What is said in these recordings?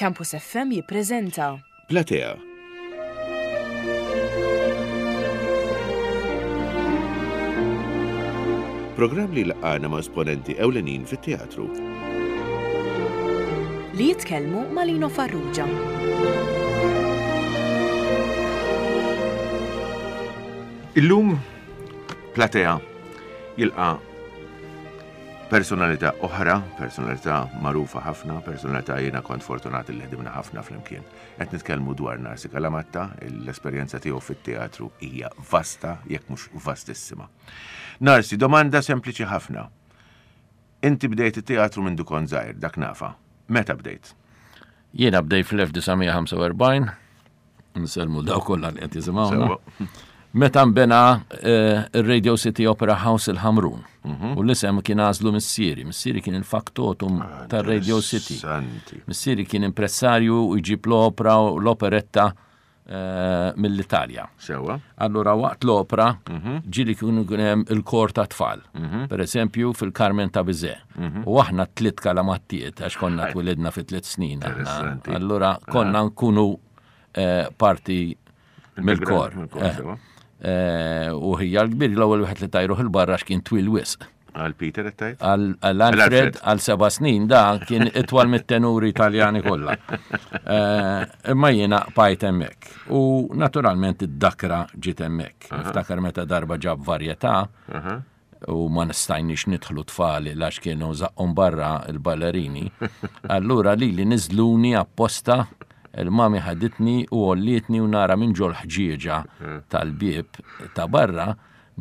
Campus FM jippreżenta. Platea. Programm li jlaqqagħna ma' esponenti ewlenin fit-teatru. Li jitkellmu ma' Lino Farrugia. Illum Platea jilqa' personalità oħra, personalità magħrufa ħafna, personalità jiena kont fortunat li ħdimna ħafna flimkien. Qed nitkellmu dwar Narsi Kalamatta, l-esperjenza tiegħu fit-teatru hija vasta, jekk mhux vastissima. Narsi, domanda sempliċi ħafna. Inti bdejt it-teatru minn kont żgħir, dak nafa. Meta bdejt? Jiena bdejt fl-1945, Nsellmu daw kollha li qed jisimgħuna. Meta nbena eh, ir-Radio City Opera House il-Ħamrun. Mhm. U l-isem kien għażlu missieri. Missieri kien il-faktotum ah, tar-Radio City. Missieri kien impressarju u jġib l-opera u l-operetta eh, mill-Italja. Sewa. Allura waqt l-opera mhm. ġili kienu hemm il-kor ta' tfal. Mhm. Per eżempju fil-Carmen ta' Bizet. U aħna tliet kalamattiet għax konna twilidna fi tliet snin. Allura konna nkunu eh, parti mill-kor. Eh, eh, u ħija l-kbir l-ewwel wieħed li tajruh il-barra x'kien twil wisq. Għal Peter qed tgħid? Għal Alfred għal seba' snin da kien itwal mit-tenuri Italjani kollha. Imma jiena bqajt hemmhekk. U naturalment id-dakra ġiet hemmhekk. Niftakar meta darba ġab varjetà u ma nistajniex nidħlu tfal għax kienu zaqqhom barra il-ballerini. Allura li li niżluni apposta il-mami ħaditni u għollietni u nara minn ġol ħġieġa tal-bieb ta' barra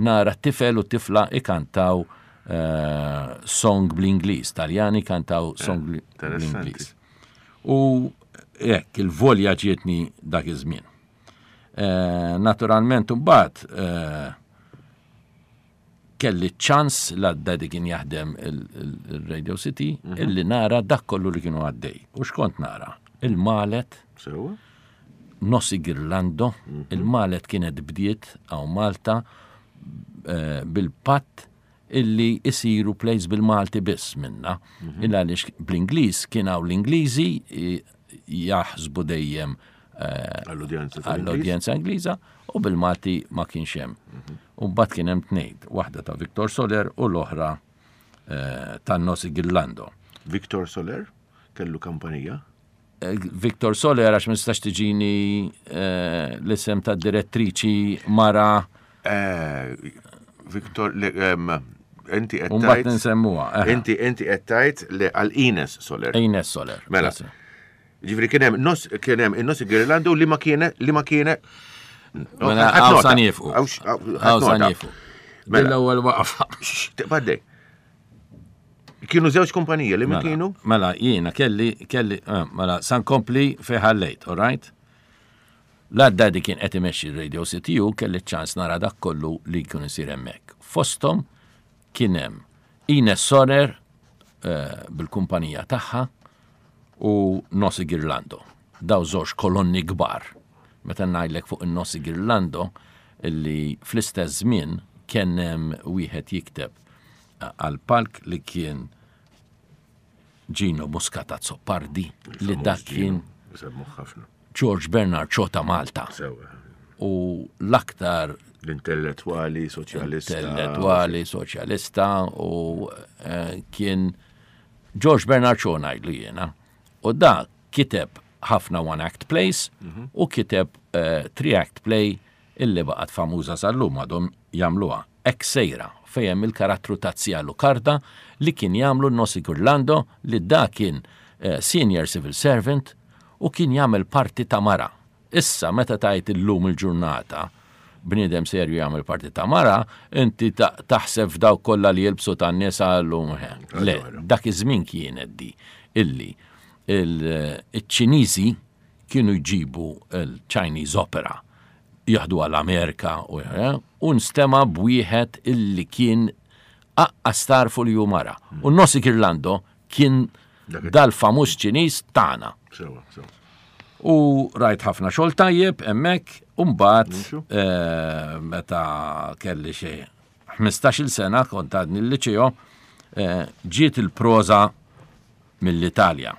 nara tifel u tifla ikantaw eh, song bl-Ingliż, Taljani kantaw eh, song bl-Ingliż. U hekk il-volja ġietni dak iż-żmien. Eh, naturalment imbagħad kelli ċans la d-daddy kien jaħdem il-Radio City mhm. illi nara dak kollu li kienu għaddej. U xkont nara? Il-malet. Nossi Girlando, mhm. il-malet kienet bdiet għaw Malta eh, bil-patt illi isiru plays bil-Malti biss minna. Mhm. Illa għaliex bl-Ingliż kien hawn l-Ingliżi jaħsbu dejjem eh, għall-udjenza Ingliża u bil-Malti ma kienx hemm. Mhm. U mbagħad kien hemm tnejn, waħda ta' Victor Soler u l-oħra eh, ta' Nosi Gillando. Victor Soler kellu kampanija? Eh, Victor Soler għax ma nistax tiġini l-isem ta' direttriċi mara. Victor, inti qed tgħid. nsemmuha. Inti inti qed tgħid li għal Ines Soler. Ines Soler. Mela. Ġifieri kien hemm nos kien hemm in-nos Girlando li ma kienet li ma kienet Mela hawn sa niefqu. Hawn sa niefqu. Mela l-ewwel waqfa. Tibgħaddej. Kienu żewġ kumpanija li mela, kienu? Mela jiena kelli kelli eh, mela san kompli fejn ħallejt, all right? La d-daddy kien qed imexxi r-Radio City u kelli ċ-ċans nara dak kollu li jkun isir hemmhekk. Fosthom kien hemm Ines Sorer eh, bil-kumpanija tagħha u Nossi Girlando. Daw żewġ kolonni kbar. Meta ngħidlek fuq in-Nossi Girlando illi fl-istess żmien kien hemm wieħed jikteb eh, għal palk li kien Gino Muscat Azzopardi li dak kien George Bernard Shaw ta' Malta. U l-aktar l-intellettwali soċjalista. Intellettwali soċjalista u eh, kien George Bernard Shaw ngħidlu jiena. U da kiteb ħafna one act plays mhm. u kiteb eh, three act play illi baqgħet famuża sal-lum għadhom jagħmluha. Hekk sejra, fejn hemm il-karattru ta' Zia Lucarda li kien jagħmlu Nossi Gurlando li da kien senior civil servant u kien jagħmel parti ta' mara. Issa meta tgħid illum il-ġurnata bniedem serju jagħmel parti ta' mara, inti taħseb f'dawk kollha li jilbsu tan-nisa llum. Le, dak iż-żmien kienet di illi il-Ċiniżi kienu jġibu l-Chinese Opera jaħduha l-Amerika u u nstema' b'wieħed illi kien aqqas tagħrfu li hu mara. U Nossi Girlando kien dal-famuż Ċiniż tagħna. U rajt ħafna xogħol tajjeb hemmhekk u mbagħad eh, meta kelli xi 15-il sena kont għadni l-liċeo eh, ġiet il-proża mill-Italja.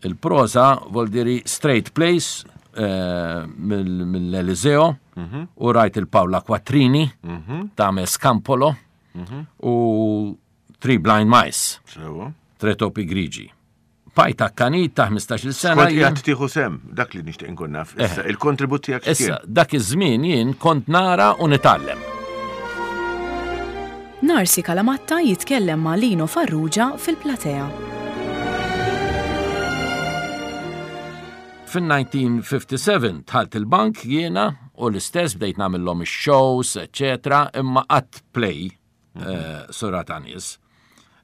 Il-proża voldiri straight plays eh, mill-Eliseo mhm. u rajt il-Paola Quattrini mhm. tagħmel Scampolo mhm. u Three Blind Mice. Tre topi grigi. Bqajt akkanit ta' 15-il sena. Kont qiegħed tieħu sehem, dak li nixtieq inkun naf. Issa, eh. il-kontribut tiegħek Issa, dak iż-żmien jien kont nara u nitgħallem. Narsi Calamatta jitkellem ma' Lino Farrugia fil-platea. Fin-1957 dħalt il-bank jiena u l-istess bdejt nagħmilhom ix-shows, eċċetera, imma qatt play eh, sura ta' nies.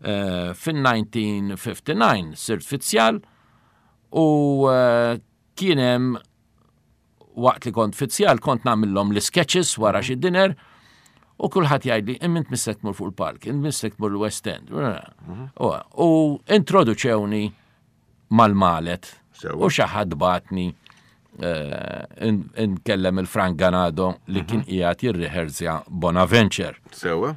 Eh, fin-1959 sirt fizzjal u eh, kien hemm waqt li kont fizzjal kont nagħmilhom l-sketches wara xi dinner u kulħadd jgħidli imma int missek tmur fuq il-palk, int missek tmur l-West End. Mhm. U introduċewni mal-Malet u xi ħadd bagħatni eh, nkellem il-Frank Ganado li mhm. kien qiegħed jirriħerzja Bonaventure. Sewa.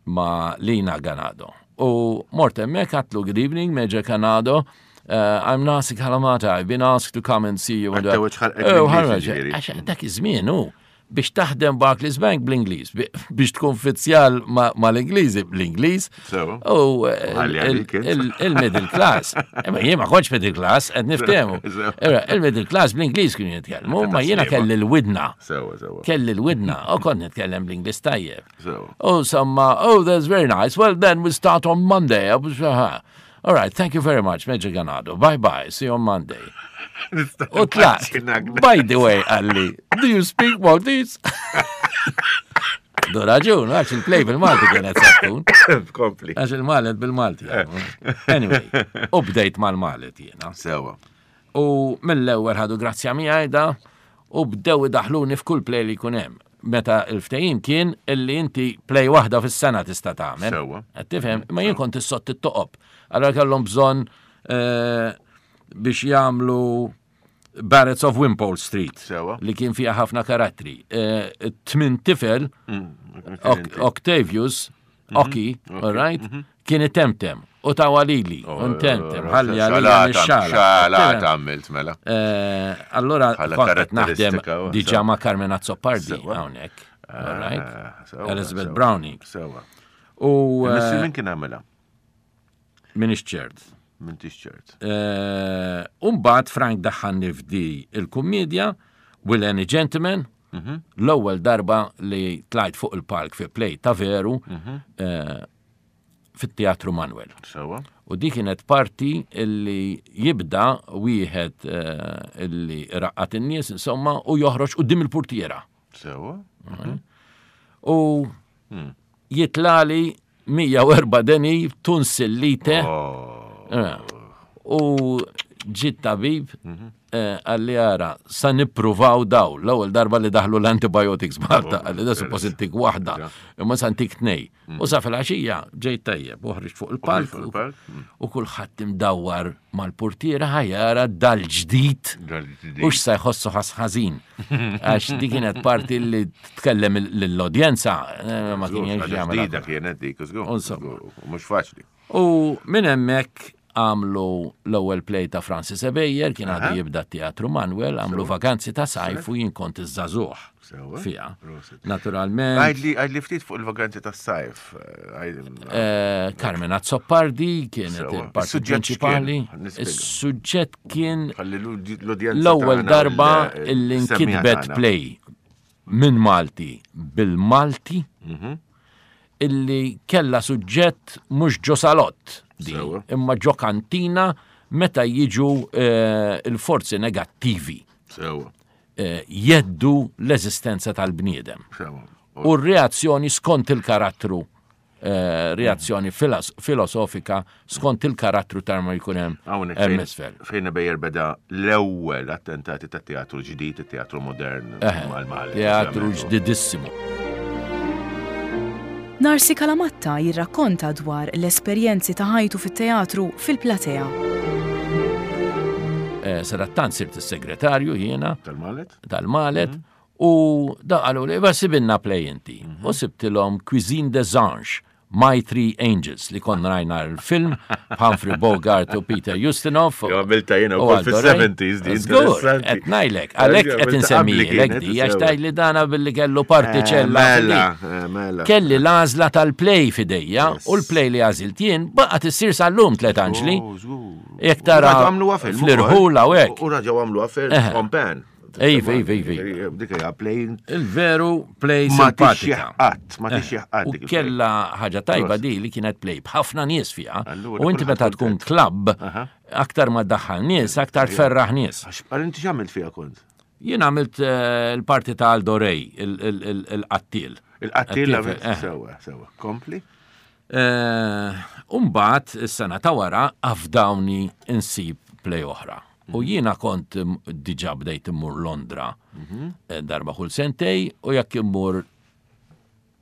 Ma Lina Ganado. U mort hemmhekk għatlu good evening Major Ganado. Uh, I'm Nasi Kalamata, I've been asked to come and see you. Oh, dak iż-żmien hu biex taħdem Barclays Bank bl-Ingliż, biex tkun fizzjal mal-Ingliżi bl-Ingliż. U eh, il-middle class. Imma jien ma kontx middle class, qed niftehmu. Il-middle class bl-Ingliż kienu jitkellmu, ma jiena kelli l-widna. Kelli l-widna, u kont nitkellem bl-Ingliż tajjeb. U somma, oh, that's very nice. Well, then we start on Monday. All right, thank you very much, Major Ganado. Bye bye, see you on Monday. U tlaqt. By the way, għalli, do you speak Maltese? Do raġun, għax il-play bil-Malti kienet sattun. Kompli. Għax il-Malet bil-Malti. Anyway, u bdejt mal-Malet jiena. Sewa. U mill-ewwel ħadu grazzja miegħi da u bdew idaħluni f'kull play li jkun hemm. Meta l-ftehim kien illi inti play waħda fis-sena tista' tagħmel. Sewwa. Qed tifhem? Imma jien kont issott it-toqob. Allura kellhom bżonn eh, biex jagħmlu Barretts of Wimpole Street. Sewwa. Li kien fiha ħafna karattri. Eh, Tmin tifel, mm, Octavius, mhm. Oki, all right, mhm. kien itemtem u ta' walili, oh, untemtem, oh, ħalli għalija nixxala. Xala għamilt mela. Eh, allora, kont naħdem diġa ma' Carmen Azzopardi hawnhekk. All right? Ah, Elizabeth Browning. Sewa. U. Eh, min kien għamela? Minix ċert. M'intix ċert. Eh, Umbagħad Frank daħħalni f'di il-kummedja, Will Any Gentleman, mhm. l-ewwel darba li tlajt fuq il-palk fi play ta' veru mhm. eh, fit-Teatru Manuel. Sewa. U di kienet parti illi jibda wieħed eh, illi raqqat in-nies insomma u joħroġ quddiem il-portiera. Sewa. Mhm. U hmm. jitlali 104 deni tunsillite. Oh. Eh, u ġit tabib mhm. eh, għalli għara, sa nippruvaw daw, l-ewwel darba li daħlu l-antibiotics Malta, oh, għalli da suppost intik waħda, imma sa ntik tnej. Mm. U sa fil-għaxija ġejt tajjeb, uħriġ fuq il-palk mm. u kulħadd imdawwar mal-portiera ħajara dal-ġdid u x'sa jħossu ħażin. Għax di kienet parti li tkellem l-udjenza eh, ma kien jgħix jagħmel. Ġdida kienet dik, mhux faċli. U minn hemmhekk għamlu l-ewwel play ta' Francis Ebejer, kien għadu jibda teatru Manuel, għamlu vakanzi ta' sajf u jien kont iż-żagħżugħ fiha. Naturalment. Għidli ftit fuq il-vakanzi ta' sajf. Eh, eh, Carmen Azzopardi kienet il-parti prinċipali. Is-suġġett kien l-ewwel darba illi nkitbet play minn Malti bil-Malti mhm. illi kella suġġett mhux ġo salott imma ġo kantina meta jiġu eh, il-forzi negattivi. Eh, jeddu l-eżistenza tal-bniedem. U r-reazzjoni skont il-karattru Eh, reazzjoni filosofika skont il-karattru ta' ma jkun hemm hemm isfel. Fejn Bejjer beda l-ewwel attentati ta' teatru ġdid, teatru modern mal-Malti. Teatru ġdidissimu. Narsi Kalamatta jirrakkonta dwar l-esperjenzi ta' ħajtu fit-teatru fil-platea. Eh, Sadattant sirt is-segretarju jiena. Tal-Malet? Tal-Malet. Mhm. U da qalu li, ba sibilna play inti. Mhm. U sibtilhom Cuisine des Anges. My Three Angels li konna rajna l-film Humphrey Bogart u Peter Ustinov. Jo, għamilta jiena wkoll fis-70s di. Żgur, qed ngħidlek, għalhekk qed insemmilek di għax tgħid li dana billi kellu partiċella. Eh, mela, eh, mela. Kelli l-għażla tal-play f'idejja u l-play li għażilt jien baqgħet issir sal-lum tlet anġli. Oh, Jekk tara fl-irħula u hekk. U raġgħu għamluha film on pan. Iva, iva, iva. Dik hija play. Il-veru play simpatika. Qatt, ma tixjih qatt. U kella ħaġa tajba di li kienet play b'ħafna nies fiha. U inti meta tkun klabb, aktar ma daħħal nies, aktar tferraħ nies. Għal inti x'għamilt fiha kont? Jien għamilt eh, l-parti ta' Aldo Ray, il-qattil. Il-qattil għamilt eh. sewa, sewa. Kompli? Eh, Umbat, is-sena ta' wara, afdawni insib play oħra. U jiena kont diġa bdejt immur Londra eh, darba kull sentej u jekk immur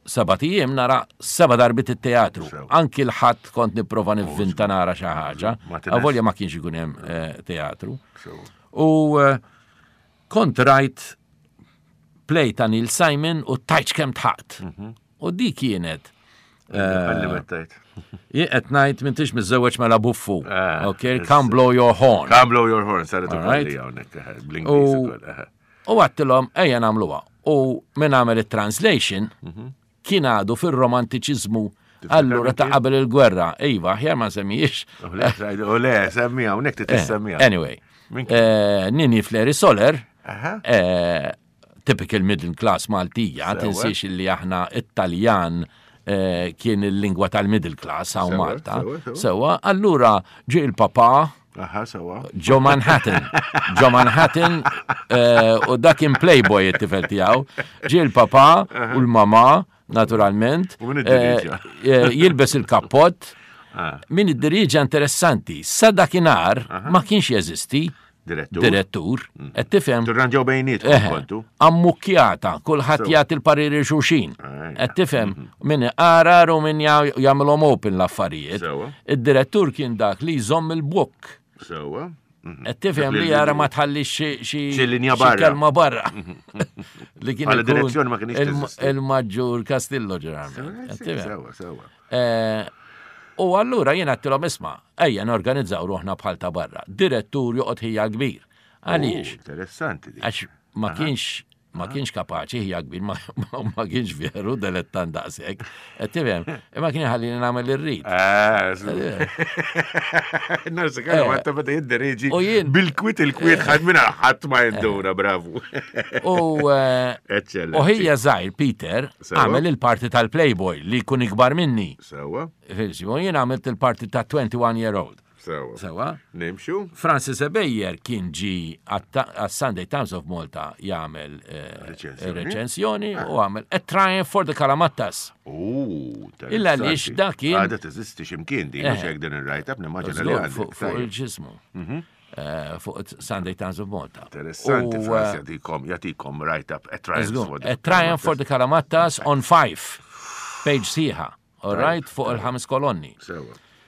seba ijiem nara seba darbit it-teatru. Anki l-ħadd kont nipprova nivvinta nara xi ħaġa. Avolja ma kienx ikun hemm eh, teatru. U kont rajt play ta' Neil Simon u tajċ kemm tħaqt. Mhm. U di kienet. Eh, jien qed ngħid m'intix miżżewweġ mela buffu. Eh, ok, come blow your horn. Come blow your horn, saret ukoll hawnhekk eh, bl-Ingliż ukoll. U għattilhom ejja nagħmluha. U min għamel it-translation mhm. kien għadu fir-romantiċiżmu Allura ta' qabel il-gwerra, iva, aħjar ma semmijiex. U le, semmija, unek tissemmija. Anyway, Nini Fleri Soler, typical middle class Maltija, tinsiex li aħna it-Taljan eh, kien il-lingwa tal-middle class hawn Malta. Sewa, allura ġie il-papa Ġo Manhattan. Ġo Manhattan eh, u dak kien playboy it-tifel tiegħu. Ġie il-papa u l-mama, naturalment. Eh, jilbes il-kappott. Ah. Min id-diriġa interessanti. Sa dakinhar ma kienx jeżisti. Direttur. Direttur. Mm. Qed tifhem. Tirranġaw bejnietkom kontu. Ammukkjata, kulħadd jagħti l-pariri xulxin. Qed tifhem mhm. min iqarar u min jagħmilhom open l-affarijiet. Id-direttur kien dak li jżomm il-buk. Sewwa. Mhm. Qed tifhem li jara ma tħallix xi linja barra. Kelma barra. Li kien direzzjoni ma kienx Il-Maġġur Castillo ġeneralment. Sewwa, sewwa. Eh, u allura jien għattilhom isma' ejja norganizzaw ruħna bħal ta' barra. Direttur joqgħod ħija kbir. Għaliex? Oh, interessanti. Għax ma kienx ma kienx kapaċi ħija kbir, ma kienx veru delettant daqshekk. Qed tifhem, imma kien ħallini nagħmel irrid. Eh, Narsi kellu eh. għatta meta jidderieġi bil-kwit il-kwit ħadd minn ħadd ma jinduna, bravu. U eh, ħija żgħir Peter Għamel il-parti tal-Playboy li jkun ikbar minni. Sewa. U jien għamilt il-parti ta' 21 year old. Sewa. Sewa. Nimxu. Francis Ebejer kien ġi għas-Sunday Times of Malta jagħmel eh, reċensjoni u għamel A Triumph for the Kalamattas. Illa għaliex dak kien. Għadha teżisti x'imkien din mhux eh. hekk din ir-write-up nimmaġina li għandek. Fuq il-ġismu. Mhm. Eh, fuq Sunday Times of Malta. Interessanti, Frans eh, jatikom, jatikom write-up, a triumph for the... A triumph for the Karamattas on five, page siħa, all right, fuq il-ħames kolonni.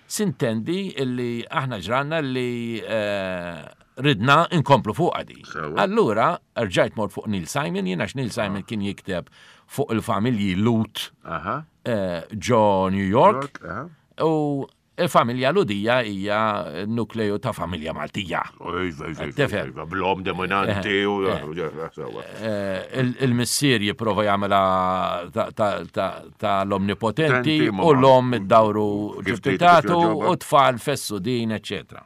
Sintendi illi aħna ġranna li eh, ridna inkomplu fuq għadi. Allura, rġajt mort fuq Neil Simon, jiena Neil Simon ah. kien jikteb fuq il-familji Lut ġo New York. U Il-familja Lhudija hija nukleju ta' familja Maltija. Tifhem. Blom dominanti u eh, Il-missier jipprova jagħmilha ta' l-omnipotenti u l-om id-dawru ġiftitatu u tfal fessu din, eccetera.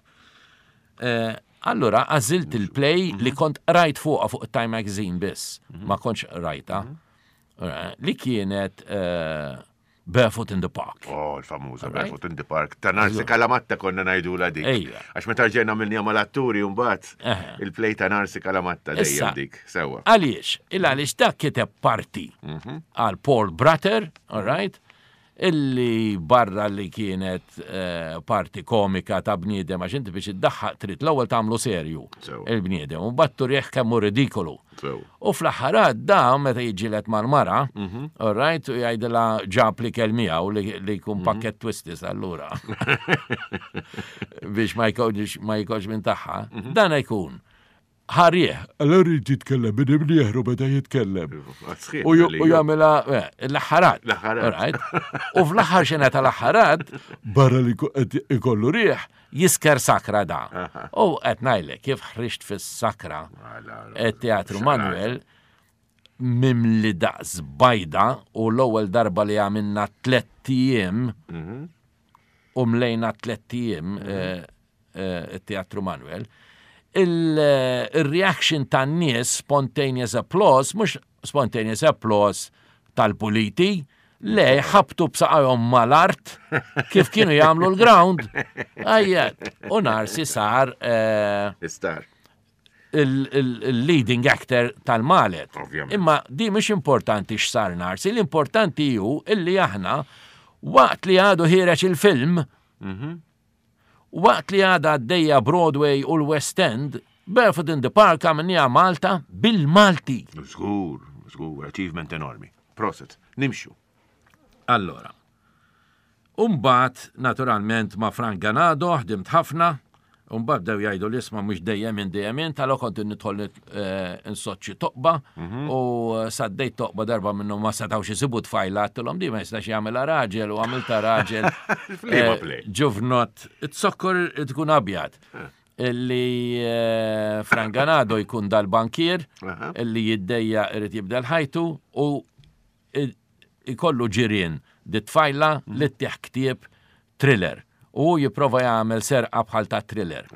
Eh, allura għażilt il-play li mhm. kont rajt fuqha fuq Time Magazine biss, mhm. ma kontx rajta, mhm. eh, li kienet Barefoot in the Park. Oh, il-famuża Barefoot in the Park. Ta' Narsi Kalamatta konna ngħidu la dik. Għax meta ġejna minnija mal-atturi mbagħad il-play ta' Narsi Kalamatta dejjem dik. Sewwa. Għaliex? Il għaliex dak kiteb parti mhm. għal Paul Bratter, all right? Illi barra li kienet eh, parti komika ta' bniedem għax inti biex iddaħħaq trid l-ewwel tagħmlu serju il-bniedem u mbagħad turih kemm hu ridikolu. U fl-aħħar għadda meta jiġġieled mal-mara, mhm. all right, u jgħidilha ġab li kell miegħu li jkun mhm. pakket twistis allura. Biex ma jkollx ma jkollx minn tagħha. Mhm. Dan jkun. Ħarieħ, allora jrid jitkellem minn imnieħru beda jitkellem. U jagħmilha eh, l-aħħarat. L-aħħarat. U fl-aħħar xena tal-aħħarat, barra li ikollu rieħ, jisker sakra da. U qed ngħidlek kif ħriġt fis-sakra teatru Manuel mimli daqs bajda u l-ewwel darba li għamilna tlett ijiem mhm. u mlejna tlett ijiem mhm. eh, eh, it-Teatru Manuel, il-reaction tan-nies spontaneous applause, mhux spontaneous applause tal-puliti, le ħabtu b'saqajhom mal-art kif kienu jagħmlu l-ground. Ajja, u Narsi sar. Eh, Star. Il-leading actor tal-Malet. Imma di mhix importanti x'sar Narsi, l-importanti hu illi aħna waqt li għadu ħireġ il-film, mhm. Waqt li għadha għaddejja Broadway u l-West End, Barefoot in the Park għamilniha Malta bil-Malti. Żgur, żgur, achievement enormi. Proset, nimxu. Allora. Umbagħad, naturalment, ma' Frank Ganado ħdimt ħafna, umbagħad bdew jgħidu li isma' mhux dejjem int dejjem int, allora kont nidħol nsodd xi toqba u saddejt toqba darba minnhom ma setgħux isibu tfajla għedtilhom di ma jistax jagħmilha raġel u għamilta raġel. F'liema play? Ġuvnott, it-zokkor tkun abjad. Illi Frank Ganado jkun dal-bankier illi jiddejja irid jibdel ħajtu u ikollu ġirien di tfajla li ttih ktieb thriller u hu jipprova jagħmel serqa bħal ta' thriller.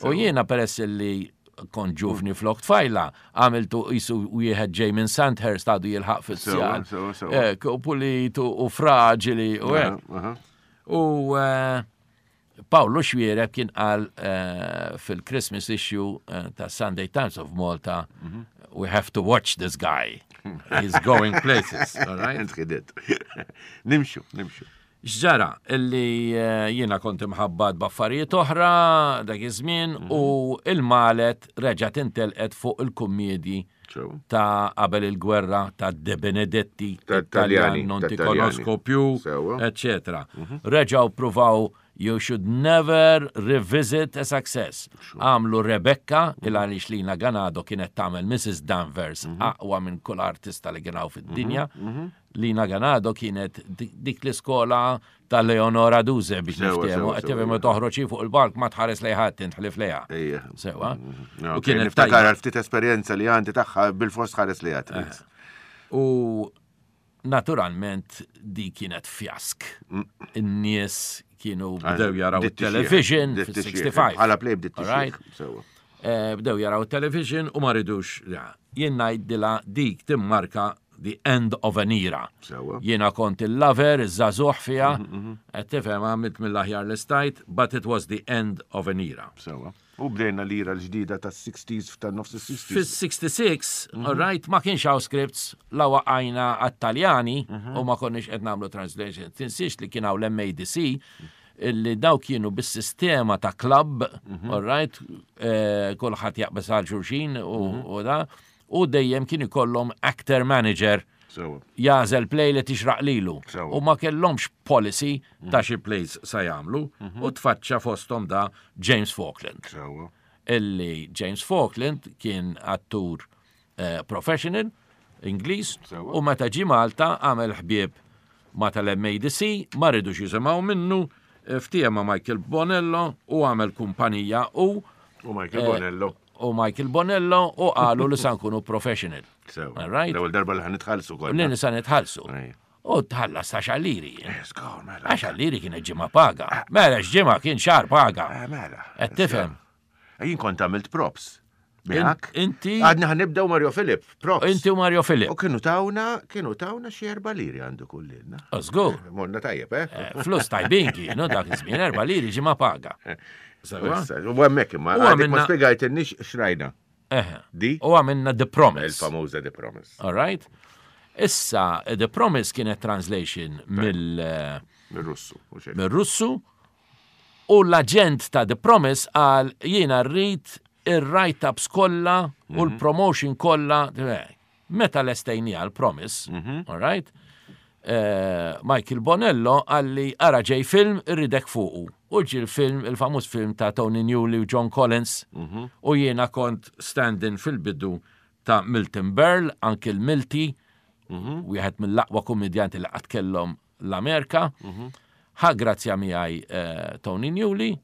U jiena peress li kont ġuvni flok tfajla, għamiltu qisu wieħed ġej minn Sandhurst għadu jilħaq fis-sjar. U pulit u fraġili u hekk. U eh, Pawlu Xuereb kien qal eh, fil-Christmas issue eh, ta' Sunday Times of Malta, mhm. we have to watch this guy. He's going places, all right? Nimxu, nimxu. X'ġara illi eh, jiena kont imħabbat b'affarijiet oħra dak iż-żmien mhm. u il-Malet reġgħet intelqet fuq il-kummiedji ta' qabel il-gwerra ta' De Benedetti, Taljani, non ti conosco più, eccetera. Mhm. Reġgħu pruvaw you should never revisit a success. Għamlu Rebecca, mhm. il għaliex Lina Ganado kienet tagħmel Mrs. Danvers mhm. aqwa minn kull artista li kien fid-dinja. Lina Ganado kienet dik l-iskola ta' Leonora Duse biex niftehmu, qed tifhem toħroġ fuq il-palk ma tħares lejn ħadd intħlif lejha. Sewa. Mm, u kienet niftakar għal ftit esperjenza li għandi tagħha bil-fors tħares lejha trid. Eh. U naturalment di kienet fjask. Mm. In-nies kienu bdew jaraw il-television fil-65. Bħala play bdiet Sewa. Eh, bdew jaraw television u ma ridux. Jien ngħidilha dik timmarka the end of an era. Jiena kont il-lover, iż-żagħżugħ fiha, mhm, mhm. qed tifhem għamilt mill-aħjar li stajt, but it was the end of an era. Sewa. U bdejna l-era l-ġdida tas-60s tan-nofs is-60s. Fis-66, mhm. all right, ma kienx hawn scripts la waqajna għat-Taljani u ma konniex qed nagħmlu translation. Tinsiex li kien hawn l-MADC illi daw kienu bis-sistema ta' club, all right, eh, kulħadd jaqbeż għal xulxin u da, u dejjem kien ikollhom actor manager jagħżel play li tixraq lilu. U ma kellhomx policy ta' xi plays sa jagħmlu mhm. u tfaċċa fosthom da James Falkland. Illi James Falkland kien attur eh, professional Ingliż u meta ġie Malta għamel ħbieb ma tal-MADC, ma ridux jisimgħu minnu, eh, ftiehem ma' Michael Bonello u għamel kumpanija u U Michael eh, Bonello. U Michael Bonello u qalu li sa nkunu professional. Sew. Right? L-ewwel darba li ħanitħallsu konna. Li sa nitħallsu. U tħallas ta' xalliri. Eh, mela. Għax xalliri kienet ġimgħa paga. Mela x'ġimgħa kien xahar paga. Mela. Qed tifhem. Jien kont għamilt props. Miegħek. Inti. Għadna ħanibdew Mario Filip, props. Inti u Mario Filip. U kienu tawna, kienu tawna xi erba' liri għandu kullilna. Żgur. Morna tajjeb, eh? eh flus tajbin kienu dak iż-żmien erba' liri ġimgħa paga. Sewa. U hemmhekk imma għadek ma spjegajtilniex x'rajna. Di? U għamilna The Promise. Il-famuża The Promise. All right. Issa, The Promise kienet translation mill- Mill-Russu. Mill-Russu U l-aġent ta' The Promise qal jiena rrid ir-write-ups kollha u l-promotion kollha. Meta lestejniha l-Promise, all right? Michael Bonello qalli ara ġej film irridek fuqu. U ġie l-film, il-famuż film ta' Tony Newley u John Collins. U jiena kont stand-in fil-bidu ta' Milton Berle, Uncle Milty, wieħed mill-aqwa kummedjanti li qatt kellhom l-Amerika. Ħa grazzja miegħi Tony Newley,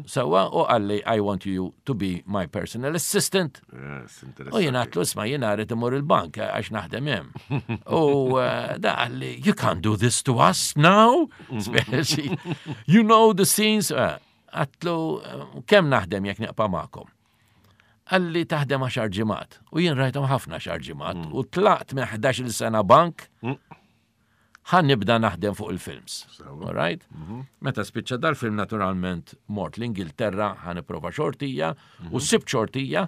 sewwa, u qalli I want you to be my personal assistant. Yes, U jiena għedtlu isma' jiena rrid imur il-bank għax naħdem hemm. U da qalli you can't do this to us now. Speċi, you know the scenes. Għedtlu kemm naħdem jekk nieqpa' magħkom? Qalli taħdem għaxar ġimgħat. U jien rajthom ħafna għaxar ġimgħat. U tlaqt minn 11-il sena bank. Ħa nibda naħdem fuq il-films. All right? Meta spiċċa dal-film naturalment mort l-Ingilterra ħa nipprova xortija u sibt xortija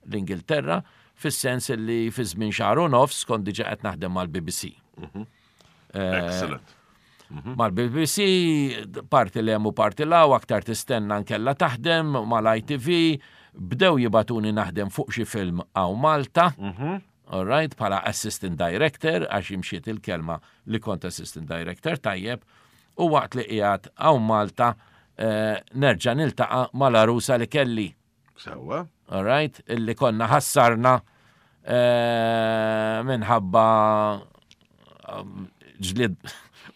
l-Ingilterra fis-sens li fi żmien xahar u nofs kont diġà qed naħdem mal-BBC. Excellent. Mal-BBC, parti l-hemm u parti l-hawn, aktar tistenna nkella taħdem mal-ITV, bdew jibatuni naħdem fuq xi film hawn Malta. All right, bħala assistant director, għax imxiet il-kelma li kont assistant director tajjeb, u waqt li qiegħed hawn Malta nerġa' niltaqa' mal-arusa li kelli. Sewwa. All right, illi konna ħassarna minħabba ġlid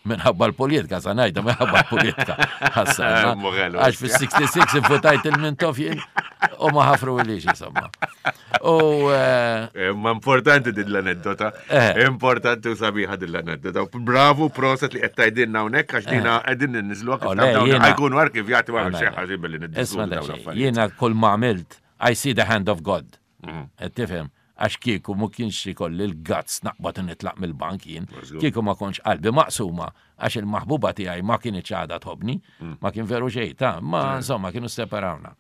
minħabba l-politika, sa ngħidha minħabba l-politika. Ħassarna. Għax fis-66 infutajt il-Mintoff jien u ma ħafru ilix, insomma. U Ma importanti din l-aneddota. Importanti u sabiħa din l-aneddota. Bravo, proset li qed tgħidilna hawnhekk għax dina qegħdin ninniżlu Oh, le, jiena- ħajkunu arkivjati wara xi ħażin billi niddiskutu Isma' dawn daqsxejn, l-affarijiet. Jiena kull ma għamilt, I see the hand of God. Qed tifhem? Għax kieku ma kienx ikolli l-guts naqbad u nitlaq mill-bank jien, kieku ma kontx qalbi maqsuma għax il-maħbuba tiegħi ma kinitx għadha tħobbni, ma kien veru xejn ta' ma insomma kienu separawna.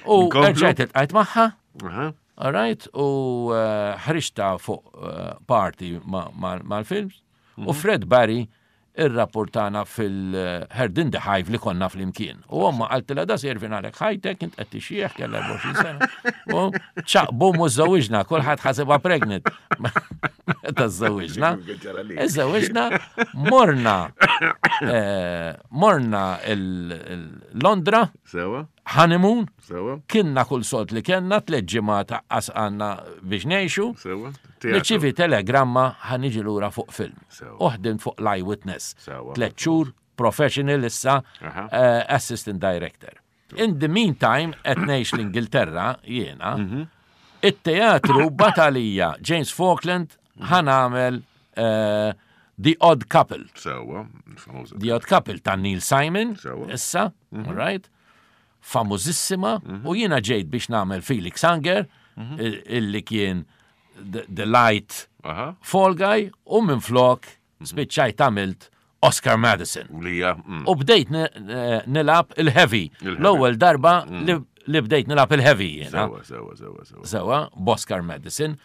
U rġajt iltqajt magħha, all right, u ħriġta fuq party mal-films, u Fred Barry irrapportana fil-Herd in the Hive li konna flimkien. U omma qaltilha da se jirvinalek ħajtek, int qed tixjieħ kellha 24 sena. U ċaq, bum, u żżewwiġna, kulħadd ħasibha pregnant. Meta żżewwiġna, iżżewwiġna, morna il-Londra, Sewa. Honeymoon, Sewa. Kienna kull sold li kellna, tliet ġimgħat aqqas għandna biex ngħixu. Sewa. Nirċievi telegramma ħa niġi lura fuq film. Sewa. U ħdimt fuq l-Eyewitness. Sewa. 3 xhur, professional issa, assistant director. In the meantime, qed ngħix l-Ingilterra jiena, it-teatru batalija James Falkland ħa nagħmel The Odd Couple. Sewa, famuża. The Odd Couple ta' Neil Simon, Sewa. issa, all right? Famużissima, u jiena ġejt biex nagħmel Felix Unger, illi kien the light fall guy, u minn flok spiċċajt għamilt Oscar Madison. U lija. U bdejt nilab il-heavy. Il-heavy. L-ewwel darba li bdejt nilab il-heavy jiena. Sewa, sewa, sewa, sewa. Sewa, b'Oscar Madison.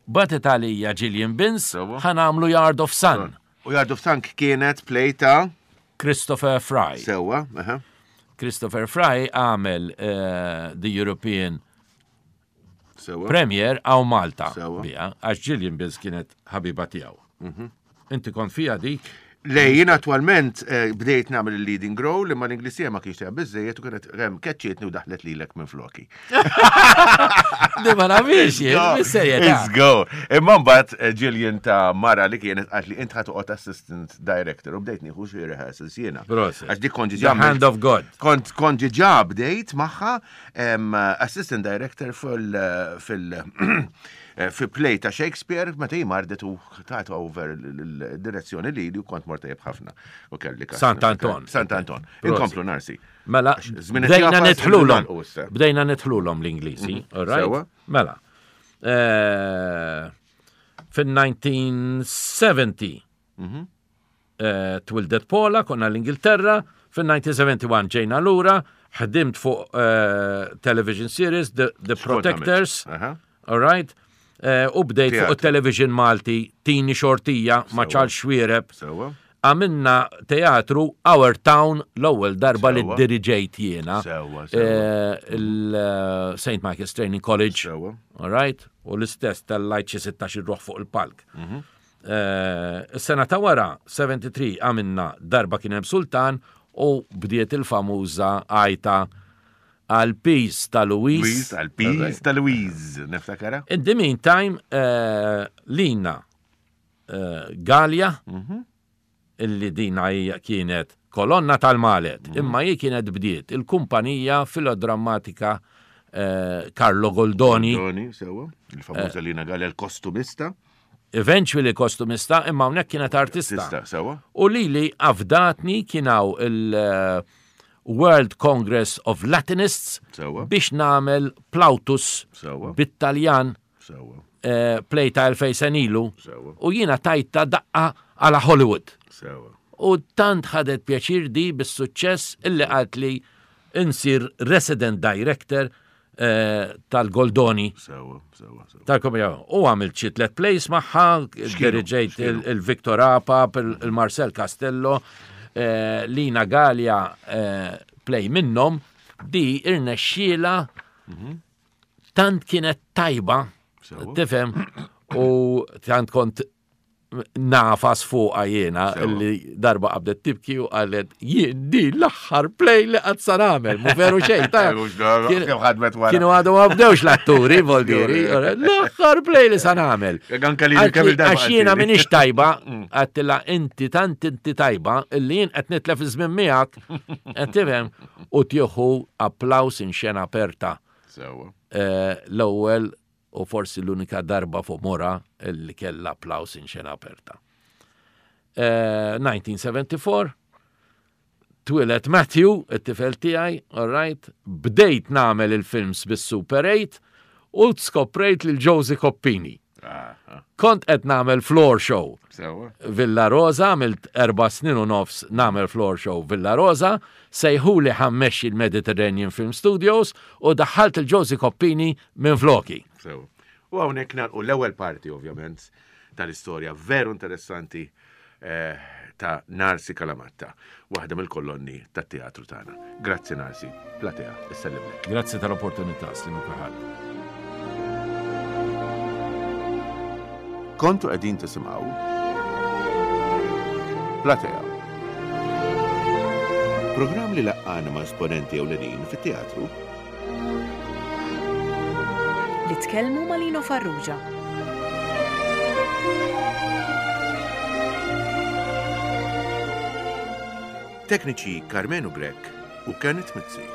Batet għalija Gillian Binns, Sewa. ħa nagħmlu Yard of Sun. U Yard of Sun kienet play ta' Christopher Fry. Sewa, aha. Christopher Fry għamel the European Sewa. Premier għaw Malta. Sewa. Bija, għax Gillian Binns kienet ħabiba tiegħu. Inti kont fija dik? Le, jien attualment bdejt nagħmel il-leading role, imma l-Inglesija ma kienx tiegħha biżejjed u kienet hemm keċċietni u daħlet lilek minn floki. Di ma nafix jien, No, mis-serjetà. Let's go. Imma mbagħad Gillian ta' mara li kienet qalt li int ħa toqgħod assistant director u bdejt nieħu xi rehearsals jiena. Proset. Għax dik kont The ġiġa hand of God. Kont ġiġa bdejt magħha assistant director fi play ta' Shakespeare, meta hi mardet u tat over il-direzzjoni li li u kont mort tajjeb ħafna. U kelli kas. Sant Anton. Sant Anton. Prosit. Inkomplu Narsi. Mela, Għax żmien qed bdejna jafas, nidħlulhom. nagħlqu issa. Bdejna nidħlulhom l-Ingliżi, all right? Sewa. Mela. Fin-1970 twildet Paula, konna l-Ingilterra, fin-1971 ġejna lura, ħdimt fuq television series The X'kont għamilt? Protectors, Aha. all right? U bdejt fuq Teatru. il-television Malti, Tini Xortija, ma' Sewa. Charles Xuereb. Sewa. Għamilna teatru Our Town l-ewwel darba li Sewa. diriġejt jiena. Sewa, sewa. Il-Saint Michael's Training College. Sewa. All right? U l-istess tal-lajt xi 16 ruħ fuq il-palk. Eh, is-sena ta' wara, 73, għamilna darba kien hemm sultan u bdiet il-famuża għajta għal peace ta' Louise. Louise, għal peace ta' Louise, niftakara. In the meantime, eh, Lina eh, Gallia, mhm. illi dina hija kienet kolonna tal-Malet, mhm. imma hi kienet bdiet il-kumpanija filodrammatika eh, Carlo Goldoni. Goldoni, sewa, il-famuża Lina Gallia, l-kostumista. Eventually kostumista, imma hawnhekk kienet artista. Sewa. U lili afdatni kien hawn il- World Congress of Latinists biex nagħmel Plautus bit-Taljan eh, play ta' 2000 senilu u jiena tajta daqqa għala Hollywood. U tant ħadet pjaċir di bis-suċċess illi qalt li insir resident director eh, tal-Goldoni. Sewa, sewa, sewa. Tal-komedja. U għamilt xi tlet plays magħha, diriġejt il-Victor Apap, il-Marcel Castello, eh, Lina Gallia eh, play minnhom, di irnexxiela mhm. tant kienet tajba, tifhem, u tant kont nafas fuqa jiena li darba qabdet tibki u qalet jien di l-aħħar play li qatt sa nagħmel, mu veru xejn. Kienu għadu ma bdewx l-atturi, voldiri, l-aħħar play li sa nagħmel. Għax jiena minix tajba, mm. għattila inti tant inti tajba illi jien qed nitlef iż-żmien miegħek, qed tifhem u tieħu applaus in xena aperta. Eh, l-ewwel u forsi l-unika darba fuq mora li kellha applaus in xena aperta. 1974, eh, twieled Matthew, it-tifel tiegħi, all right, bdejt nagħmel il-films bis-Super 8 u skoprejt lil Josie Coppini. Kont qed nagħmel floor show. Villa Rosa, għamilt erba' snin u nofs nagħmel floor show Villa Rosa, sejħuli ħammexxi l-Mediterranean Film Studios u daħħalt il-Josie Coppini minn floki. Sewa. U hawnhekk nagħlqu l-ewwel parti ovvjament tal-istorja veru interessanti eh, ta' Narsi Kalamatta, waħda mill-kolonni tat-teatru tagħna. Grazzi Narsi, platea, issellimlek. Grazzi tal-opportunità, slimu kulħadd. Kontu qegħdin tisimgħu Platea. Programm li laqqana ma' esponenti ewlenin fit-teatru Li tkellmu ma' Lino Farrugia. Tekniċi Karmenu Grech u Kenneth Mizzi.